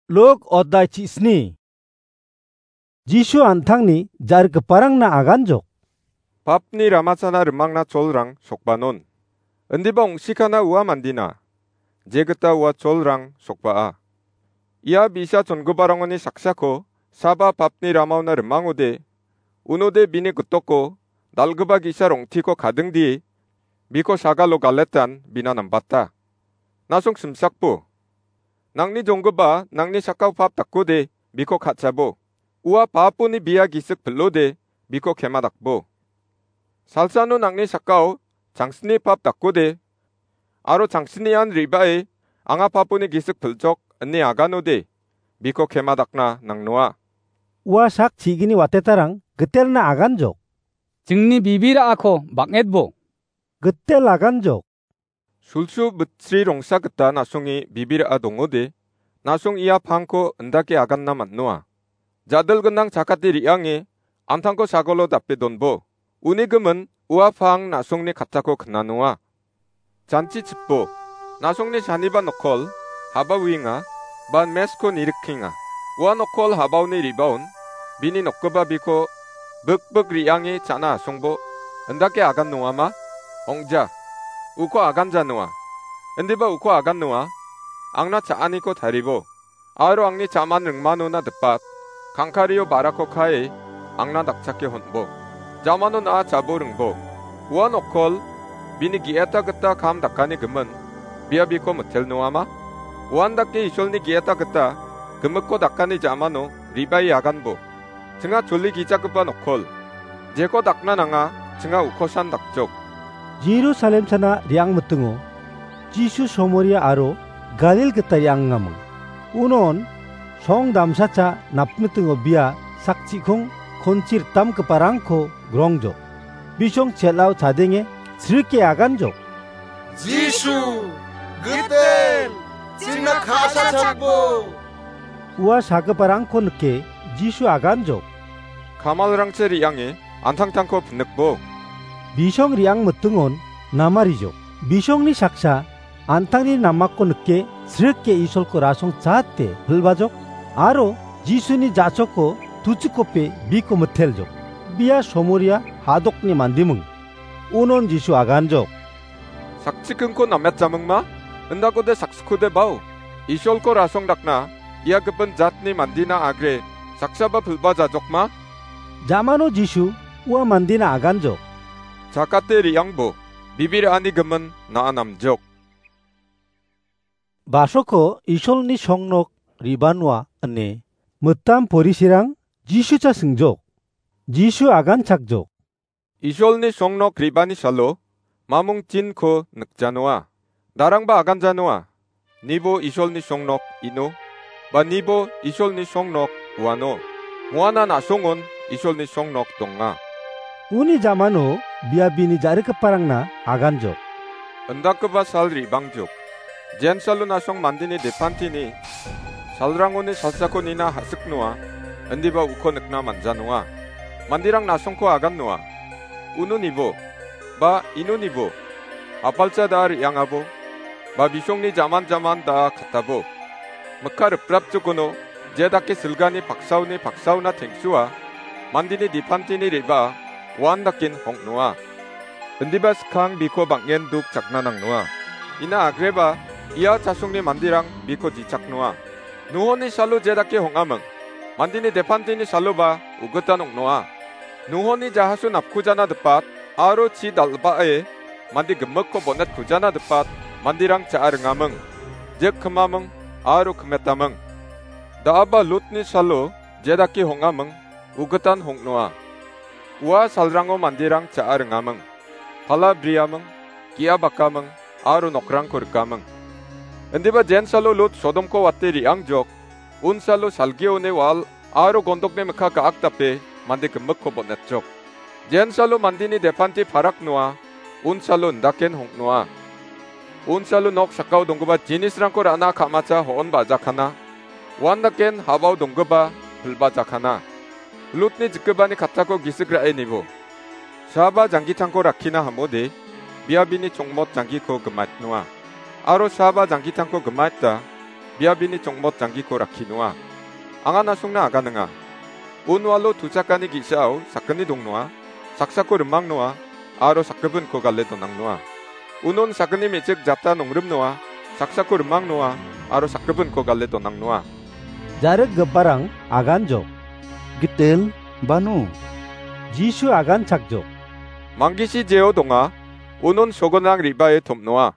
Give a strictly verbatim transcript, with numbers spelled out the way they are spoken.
Luk odai chisni. Jisu an·tangni ja·rikgiparangna aganjok. Papni ramachana rimangna cholrang sokbanon. Indiba ong·sikana ua mandina, jegita ua cholrang sokbaa. Ia bi·sa chongiparangoni saksako saba papni ramaona rimangode, unode bini gitoko dal·gipa ge·sa rong·tiko kadingdie biko sagalo galetan bina nambata. Nasong simsakbo. Nangni jonggipa nangni sakao pap dakode biko ka·chabo. Ua paponi bia gisik pil·ode biko kema dakbo. Salsano nangni sakao changsni pap dakode aro changsnian re·bae anga paponi gisik pil·jok ine aganode biko kema dakna nangnoa. Ua sak chigini watetarang gitelna aganjok. Jingni bibirako bang·etbo. Gitel aganjok. Sulsu bitri rongsa gita nasonge bibira dongode, nasong ia pangko indake aganna man·noa. Jadil gnang chakate re·ange an·tangko sagolo dape donbo. Uni gimin ua pang nasongni kattako knanoa. Janchi chipo, nasongni saniba nokol haba uinga, ban mesko nirikkenga. Ua nokol habaoni ribaon bini nokgipa biko bikbik re·ange cha·na asongbo, indake agan noama? Ong·ja, uko aganja noa. Indiba uko agan noa, angna cha·aniko taribo, aro angni cha·man ringmanona dipat, kangkario barako kae angna dakchake honbo. Jamano na·a chabo ringbo. Ua nokol bini ge·eta gita kam dakani gimin, bia biko mitel noama? Uandake Isolni ge·eta gita gimikko dakani jamano ribae aganbo. Chinga choli gijagipa nokol. Jeko dakna nanga, chinga ukosan dakjok. Jerusalem sana re·angmitingo Jisu Somoria aro Galil gita re·angaming. Unon song damsacha napmitingo bia sakchikong konchi ritamgiparangko grongjok. Bisong chel·ao chadenge srike aganjok. Jisu, gitel, chingna ka·sachakbo. Ua sagiparangko nike Jisu aganjok. Kamalrangchi re·ange an·tangtangko pinikbo. Bisong re·angmitingon namarijok. Bisongni saksa an·tangni namako nike srike Isolko rasong chate pil·bajok aro Jisuni ja·choko tuchikope biko miteljok. Bia Somoria hadokni mandiming. Unon Jisu aganjok. Sakchikingko nametjamingma? Indakode saksikode bao. Isolko rasong dakna ia gipin jatni mandina agre saksaba pil·bajajokma? Jamano Jisu ua mandina aganjok. Chakate re·angbo, bibir ani gimin na·a namjok. Basoko Isolni songnok re·banua ine mitam porisirang Jisu cha singjok. Jisu aganchakjok. Isolni songnok re·bani salo mamung tinko nikjanoa. Darangba aganjanoa. Nibo Isolni songnok ino, ba nibo Isolni songnok uano. Moana na·songon Isolni songnok donga. Uni jamano bia bini ja·rikgiparangna aganjok. Indakgipa sal re·bangjok. Jensalo na·song mandeni depantini salrangoni salsako nina ha·siknoa, indiba uko nikna manjanoa. Manderang na·songko agannoa. Unonibo, ba inonibo, apalcha da re·angabo, ba bisongni jaman jaman da katabo. Mikka riprapjokono, je dake silgani paksaoni paksaona tengsua, mandeni depantini re·baa, uan daken hong·noa. Indiba skang biko bang·en duk chakna nangnoa. Ina agreba, ia chasongni manderang biko jichaknoa. Nuhoni salo je dake hong·aming, mandeni depantini saloba ugitan ong·noa. Nuhoni jahaso napkujana dipat aro chi dal·bae mande gimikko bonetkujana dipat manderang cha·a ringaming, jek kimaming aro kimetaming. Da·aba Lotni salo je dake hong·aming, ugitan hong·noa. Ua salrango manderang cha·a ringaming, pala briaming, ge·a bakaming, aro nokrangko rikaming. Indiba jensalo Lot Sodomko wate re·angjok, unsalo salgioni wal aro gondokni mikka ga·ak dape mande gimikko bon·etjok. Jensalo mandeni depanti parak noa, unsalo indaken hong·noa. Unsalo nok sakao donggipa jinisrangko ra·na ka·macha ho·on ba·jakana, uandaken habao donggipa pilbajakana. Lotni jikgipani kattako gisik ra·e nibo. Saba janggitangko rakkina hamode, bia bini chongmot janggiko gimatnoa. Aro saba janggitangko gimatda, bia bini chongmot janggiko rakki noa. Anga nasongna aganinga. Unwalo tuchakani ge·sao sakgni dongnoa, saksako rimang noa, aro sakgipinko gale donang noa. Unon sakgni me·chik jata nongrim noa, saksako rimang noa, aro sakgipinko gale donang noa. Jarikgiparang aganjok. Gitel, bano. Jisu aganchakjok. Manggisi jeo donga, unon sogonrang re·bae tom·noa.